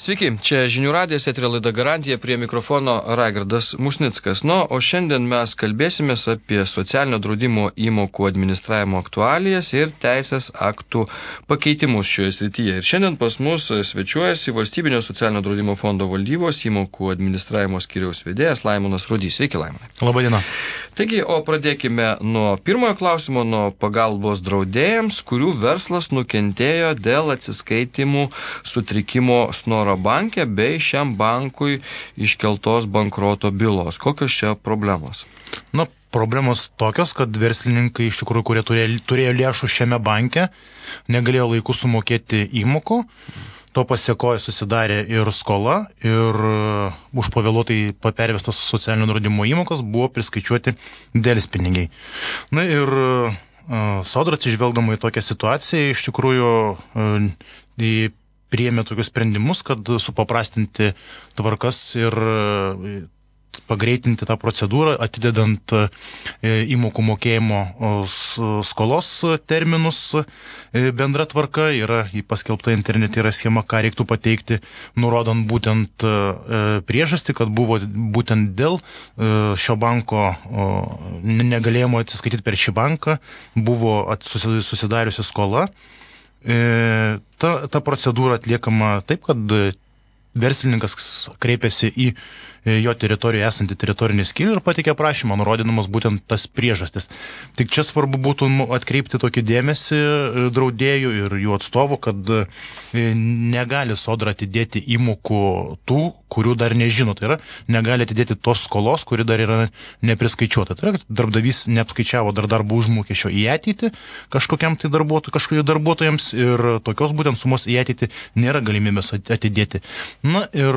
Sveiki, čia Žinių radijas, eterio laida Garantija, prie mikrofono Raigardas Musnickas. O šiandien mes kalbėsimės apie socialinio draudimo įmokų administravimo aktualijas ir teisės aktų pakeitimus šioje srityje. Ir šiandien pas mus svečiuojasi Valstybinio socialinio draudimo fondo valdybos įmokų administravimo skyriaus vedėjas Laimonas Rudys. Sveiki, Laimonai. Labadiena. Taigi, o pradėkime nuo pirmojo klausimo, nuo pagalbos draudėjams, kurių verslas nukentėjo dėl atsiskaitimų sutrikimo Snoro banke bei šiam bankui iškeltos bankroto bylos. Kokios čia problemos? Problemos tokios, kad verslininkai iš tikrųjų, kurie turėjo lėšų šiame banke, negalėjo laiku sumokėti įmokų. To pasiekoje susidarė ir skola, ir už pavėluotai pervestas socialinio draudimo įmokos buvo priskaičiuoti delspinigiai. Ir Sodra, atsižvelgdama į tokią situaciją, iš tikrųjų priėmė tokius sprendimus, kad supaprastinti tvarkas ir pagreitinti tą procedūrą, atidedant įmokų mokėjimo skolos terminus. Bendra tvarka yra paskelbta internete, yra schema, ką reiktų pateikti, nurodant būtent priežastį, kad buvo būtent dėl šio banko negalėjimo atsiskaityti per šį banką, buvo susidariusi skola. Ta procedūra atliekama taip, kad verslininkas kreipiasi į jo teritorijoje esantį teritorinį skyrių ir pateikė prašymą, nurodydamas būtent tas priežastis. Tik čia svarbu būtų atkreipti tokį dėmesį draudėjų ir jų atstovų, kad negali Sodra atidėti įmokų tų, kurių dar nežino. Tai yra, negali atidėti tos skolos, kuri dar yra nepriskaičiuota. Tai yra, darbdavys neapskaičiavo dar darbo užmokesčio į ateitį kažkokiam tai darbuotojams ir tokios būtent sumos į ateitį nėra galimybės atidėti. Ir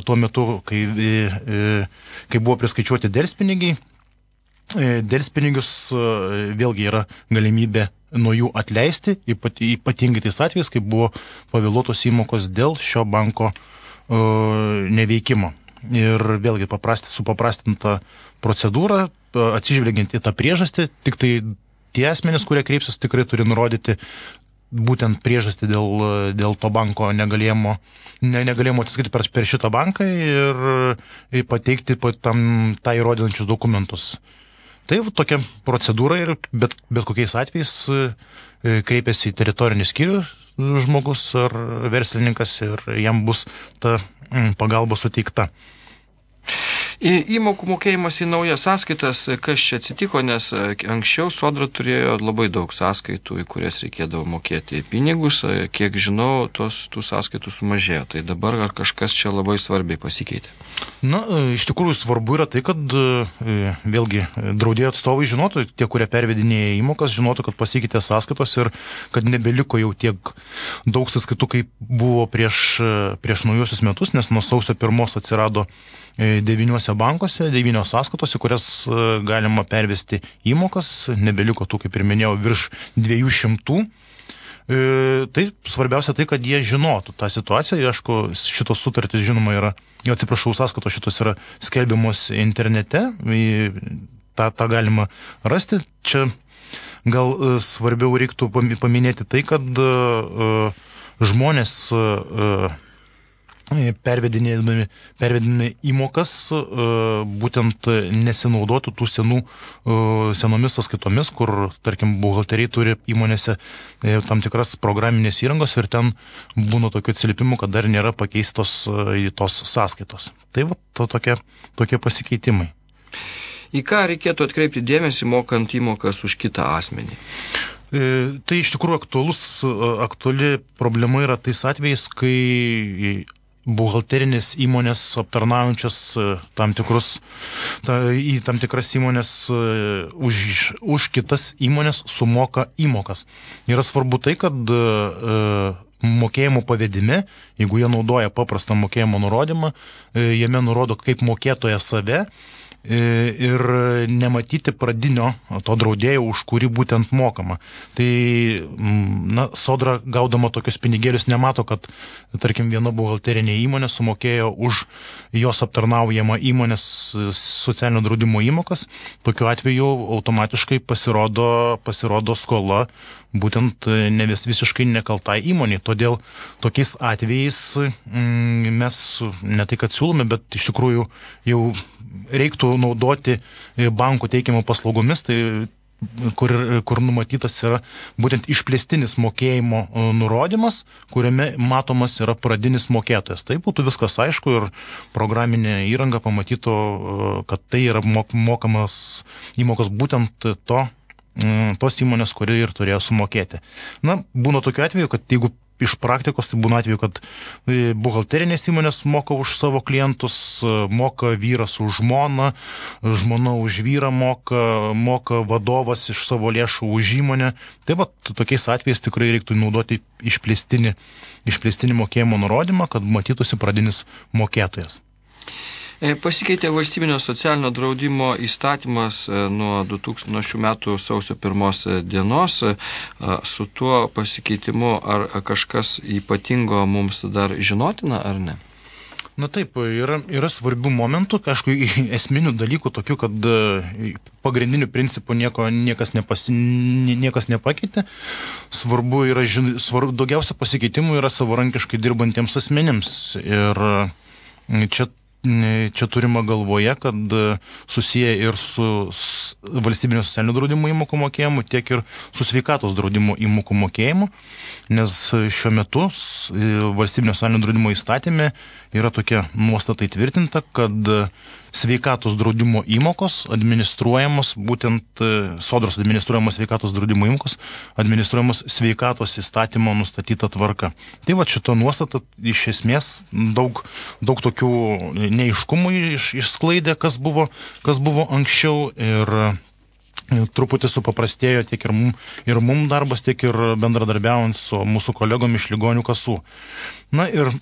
tuo metu, kai buvo priskaičiuoti delspinigiai, delspinigius vėlgi yra galimybė nuo jų atleisti, ypatingai tais atvejais, kai buvo pavėluotos įmokos dėl šio banko neveikimo. Ir vėlgi supaprastinta procedūra, atsižvelgiant į tą priežastį, tik tai tie asmenys, kurie kreipsis, tikrai turi nurodyti būtent priežastį dėl to banko negalėjimo atsiskaityti per šitą banką ir pateikti tą įrodančius dokumentus. Tai tokia procedūra ir bet kokiais atvejais kreipiasi į teritorinį skyrių žmogus ar verslininkas ir jam bus ta pagalba suteikta. Įmokų mokėjimas į naujas sąskaitas, kas čia atsitiko, nes anksčiau Sodra turėjo labai daug sąskaitų, į kurias reikėdavo mokėti pinigus, kiek žinau, tų sąskaitų sumažėjo, tai dabar ar kažkas čia labai svarbiai pasikeitė? Iš tikrųjų svarbu yra tai, kad vėlgi draudėjų atstovai žinotų, tie, kurie pervedinėja įmokas, žinotų, kad pasikeitė sąskaitos ir kad nebeliko jau tiek daug sąskaitų, kaip buvo prieš naujuosius metus, nes nuo sausio 1 atsirado 9 bankuose, 9 sąskaitos, į kurias galima pervesti įmokas, nebeliko tų, kaip ir minėjau, virš 200. Tai svarbiausia tai, kad jie žinotų tą situaciją. Aišku, šitos sutartys, žinoma, sąskaitos šitos yra skelbiamos internete, tą galima rasti. Čia gal svarbiau reiktų paminėti tai, kad žmonės pervedinami įmokas būtent nesinaudotų tų senomis sąskaitomis, kur, tarkim, buhalteriai turi įmonėse tam tikras programinės įrangos ir ten būna tokių atsiliepimų, kad dar nėra pakeistos tos sąskaitos. Tai tokie pasikeitimai. Į ką reikėtų atkreipti dėmesį, mokant įmokas už kitą asmenį? Tai iš tikrųjų aktuali problema yra tais atvejais, kai buhalterinės įmonės aptarnaujančias į tam tikras įmonės už kitas įmonės sumoka įmokas. Yra svarbu tai, kad mokėjimo pavedime, jeigu jie naudoja paprastą mokėjimo nurodymą, jame nurodo kaip mokėtoja save, ir nematyti pradinio to draudėjo, už kurį būtent mokama. Tai Sodra gaudama tokius pinigėlius nemato, kad, tarkim, viena buhalterinė įmonė sumokėjo už jos aptarnaujamą įmonės socialinio draudimo įmokas. Tokiu atveju automatiškai pasirodo skola būtent ne visiškai nekaltai įmonė. Todėl tokiais atvejais mes ne tai, kad siūlome, bet iš tikrųjų jau reiktų naudoti bankų teikiamą paslaugomis, tai kur numatytas yra būtent išplėstinis mokėjimo nurodymas, kuriame matomas yra pradinis mokėtojas. Tai būtų viskas aišku ir programinė įranga pamatytų, kad tai yra mokamas įmokos būtent tos įmonės, kuri ir turėjo sumokėti. Būna tokiu atveju, kad jeigu iš praktikos, tai būna atveju, kad buhalterinės įmonės moka už savo klientus, moka vyras už žmoną, žmona už vyrą moka vadovas iš savo lėšų už įmonę. Tai tokiais atvejais tikrai reiktų naudoti išplėstinį mokėjimo nurodymą, kad matytųsi pradinis mokėtojas. Pasikeitė valstybinio socialinio draudimo įstatymas nuo šių metų sausio 1 dienos. Su tuo pasikeitimu ar kažkas ypatingo mums dar žinotina, ar ne? Taip, yra svarbių momentų, aišku, esminių dalykų tokių, kad pagrindinių principų niekas nepakeitė. Daugiausia pasikeitimų yra savarankiškai dirbantiems asmenims. Ir čia turima galvoje, kad susiję ir su valstybinio socialinio draudimo įmokų mokėjimu, tiek ir su sveikatos draudimo įmokų mokėjimu, nes šiuo metu valstybinio socialinio draudimo įstatyme yra tokia nuostata įtvirtinta, kad sveikatos draudimo įmokos administruojamos, būtent Sodros administruojamos sveikatos draudimo įmokos, administruojamos sveikatos įstatymo nustatyta tvarka. Tai šita nuostata iš esmės daug tokių neaiškumų išsklaidė, kas buvo anksčiau ir truputį supaprastėjo tiek ir mum darbas, tiek ir bendradarbiaujant su mūsų kolegom iš ligonių kasų. Ir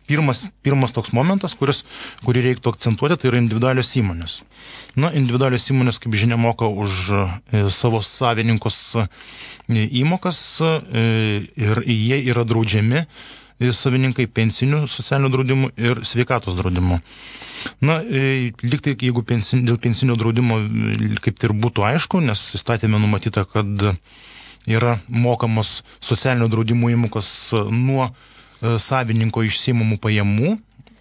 pirmas toks momentas, kurį reiktų akcentuoti, tai yra individualios įmonės. Individualios įmonės, kaip žinia, moka už savo savininkus įmokas ir jie yra draudžiami savininkai pensinių socialinių draudimų ir sveikatos draudimų. Liktai, jeigu dėl pensinio draudimo kaip tai ir būtų aišku, nes įstatėme numatyta, kad yra mokamos socialinio draudimo įmokos nuo savininko išsiimamų pajamų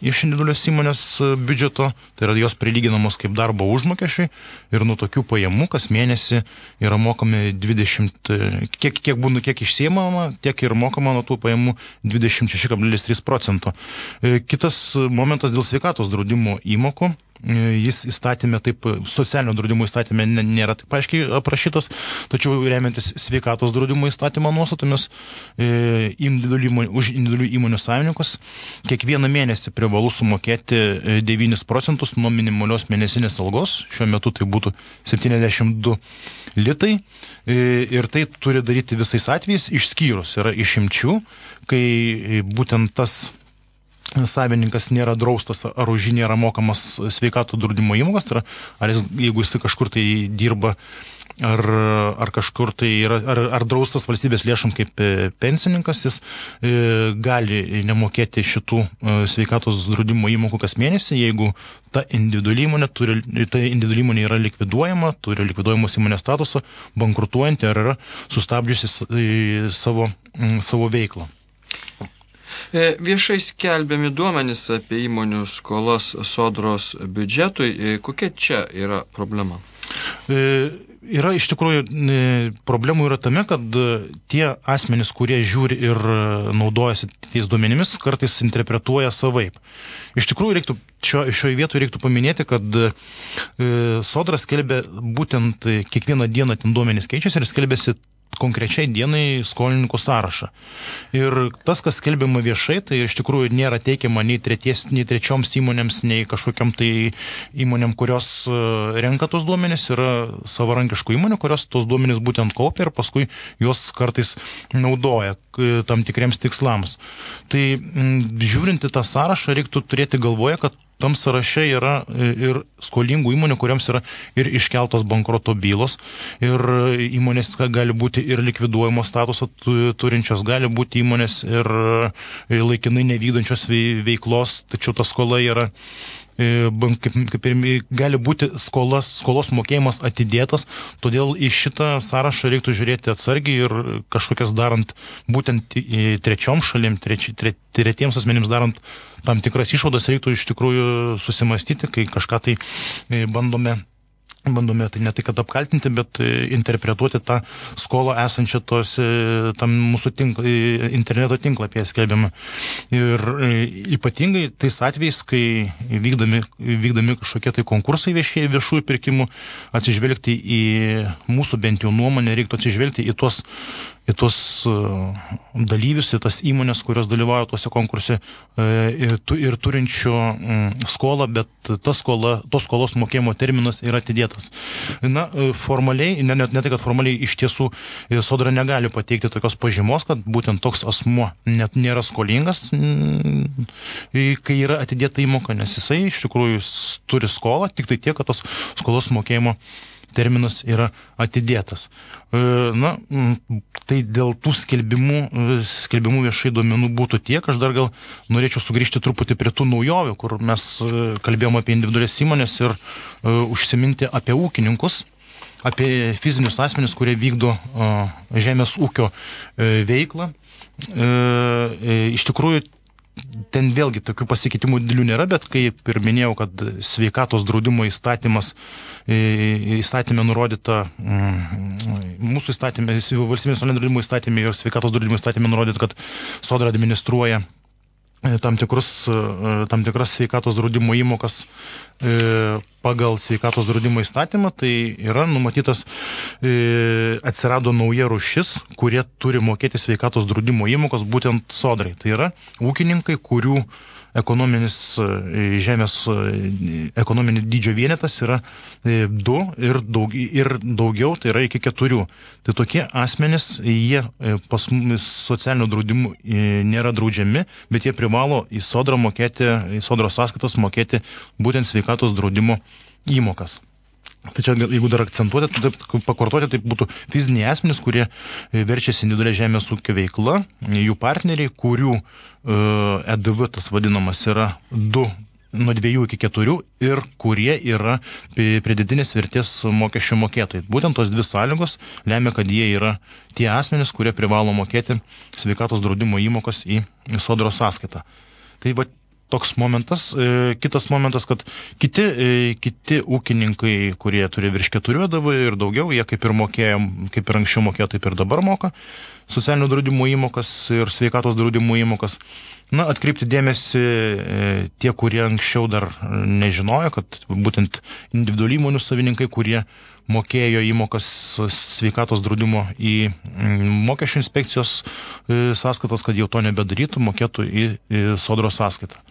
iš individualios įmonės biudžeto, tai yra jos prilyginamos kaip darbo užmokesčiai ir nuo tokių pajamų kas mėnesį yra mokami 20, kiek išsiimama, tiek ir mokama nuo tų pajamų 26,3%. Kitas momentas dėl sveikatos draudimo įmokų. Jis įstatymė socialinio draudimo įstatymė nėra taip aiškiai aprašytas, tačiau remiantis sveikatos draudimo įstatymo nuostatomis už individualių įmonių savininkus kiekvieną mėnesį privalu sumokėti 9% nuo minimalios mėnesinės algos, šiuo metu tai būtų 72 litai, ir tai turi daryti visais atvejais, išskyrus yra išimčių, kai būtent tas savininkas nėra draustas ar už jį nėra mokamas sveikatos draudimo įmokos, tai yra, jeigu jis kažkur tai dirba ar kažkur tai yra, ar draustas valstybės lėšom kaip pensininkas, jis gali nemokėti šitų sveikatos draudimo įmokų kas mėnesį, jeigu ta individuali įmonė yra likviduojama, turi likviduojamos įmonės statusą, bankrutuojanti ar yra sustabdžiusi savo veiklą. Viešai skelbiami duomenys apie įmonių skolas Sodros biudžetui. Kokia čia yra problema? Yra iš tikrųjų problemų yra tame, kad tie asmenys, kurie žiūri ir naudojasi tais duomenimis, kartais interpretuoja savaip. Iš tikrųjų šioje vietoje reiktų paminėti, kad Sodra skelbia būtent kiekvieną dieną ten duomenys keičiasi ir skelbiasi konkrečiai dienai skolininkų sąrašą. Ir tas, kas skelbiama viešai, tai iš tikrųjų nėra teikiama nei trečioms įmonėms, nei kažkokiam tai įmonėm, kurios renka tos duomenys, yra savarankiškų įmonių, kurios tos duomenys būtent kaupia ir paskui juos kartais naudoja tam tikriems tikslams. Tai žiūrint į tą sąrašą, reiktų turėti galvoje, kad tam sąraše yra ir skolingų įmonių, kuriams yra ir iškeltos bankroto bylos, ir įmonės gali būti ir likviduojamo statuso turinčios, gali būti įmonės ir laikinai nevykdančios veiklos, tačiau ta skola yra kaip ir gali būti skolos mokėjimas atidėtas, todėl į šitą sąrašą reiktų žiūrėti atsargiai ir kažkokias darant būtent trečiom šalim, tretiems asmenims darant tam tikras išvadas, reiktų iš tikrųjų susimastyti, kai kažką tai bandome tai ne tai, kad apkaltinti, bet interpretuoti tą skolą esančią tam mūsų interneto tinklapyje skelbiamą. Ir ypatingai tais atvejais, kai vykdami kažkokie tai konkursai viešųjų pirkimų, atsižvelgti į mūsų bent jau nuomonę, reiktų atsižvelgti į tuos dalyvius, į tas įmonės, kurios dalyvauja tuose konkurse ir turinčių skolą, bet tos skolos mokėjimo terminas yra atidėtas. Na, formaliai, ne tai, kad formaliai iš tiesų Sodra negali pateikti tokios pažymos, kad būtent toks asmuo net nėra skolingas, kai yra atidėta įmoka, nes jisai iš tikrųjų turi skolą, tik tai tiek, kad tas skolos mokėjimo terminas yra atidėtas. Na, tai dėl tų skelbimų viešai duomenų būtų tiek. Aš dar gal norėčiau sugrįžti truputį prie tų naujovių, kur mes kalbėjom apie individualias įmonės ir užsiminti apie ūkininkus, apie fizinius asmenis, kurie vykdo žemės ūkio veiklą. Iš tikrųjų, ten vėlgi tokių pasikeitimų didelių nėra, bet kaip ir minėjau, kad sveikatos draudimo įstatymė nurodyta, mūsų įstatymė, valstybės draudimo įstatymė ir sveikatos draudimo įstatymė nurodyta, kad Sodra administruoja tam tikras sveikatos draudimo įmokas pagal sveikatos draudimo įstatymą, tai yra numatytas, atsirado nauja rūšis, kurie turi mokėti sveikatos draudimo įmokas būtent Sodrai. Tai yra ūkininkai, kurių ekonominis dydžio vienetas yra 2 ir daugiau, tai yra iki 4. Tai tokie asmenys, jie pas socialinių draudimų nėra draudžiami, bet jie privalo į Sodrą mokėti, į Sodros sąskaitas mokėti būtent sveikatos draudimo įmokas. Tai čia, jeigu dar akcentuoti, pakartoti, tai būtų fiziniai asmenys, kurie verčiasi individualia žemės ūkio veikla, jų partneriai, kurių EDV, tas vadinamas, yra 2 nuo 2 iki 4 ir kurie yra pridėtinės vertės mokesčių mokėtojai. Būtent tos 2 sąlygos lemia, kad jie yra tie asmenys, kurie privalo mokėti sveikatos draudimo įmokas į Sodros sąskaitą. Tai va, toks momentas. Kitas momentas, kad kiti ūkininkai, kurie turi virš 4 EDV ir daugiau, jie kaip ir anksčiau mokėjo, taip ir dabar moka socialinių draudimų įmokas ir sveikatos draudimų įmokas. Na, atkreipti dėmesį tie, kurie anksčiau dar nežinojo, kad būtent individualių įmonių savininkai, kurie mokėjo įmokas sveikatos draudimo į mokesčių inspekcijos sąskaitas, kad jau to nebedarytų, mokėtų į Sodros sąskaitą.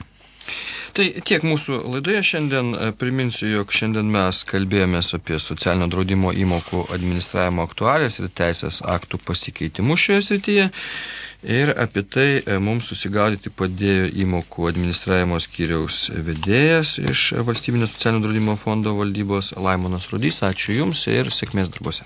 Tai tiek mūsų laidoje šiandien. Priminsiu, jog šiandien mes kalbėjomės apie socialinio draudimo įmokų administravimo aktualijas ir teisės aktų pasikeitimus šioje srityje. Ir apie tai mums susigaudyti padėjo įmokų administravimo skyriaus vedėjas iš Valstybinio socialinio draudimo fondo valdybos Laimonas Rudys. Ačiū Jums ir sėkmės darbuose.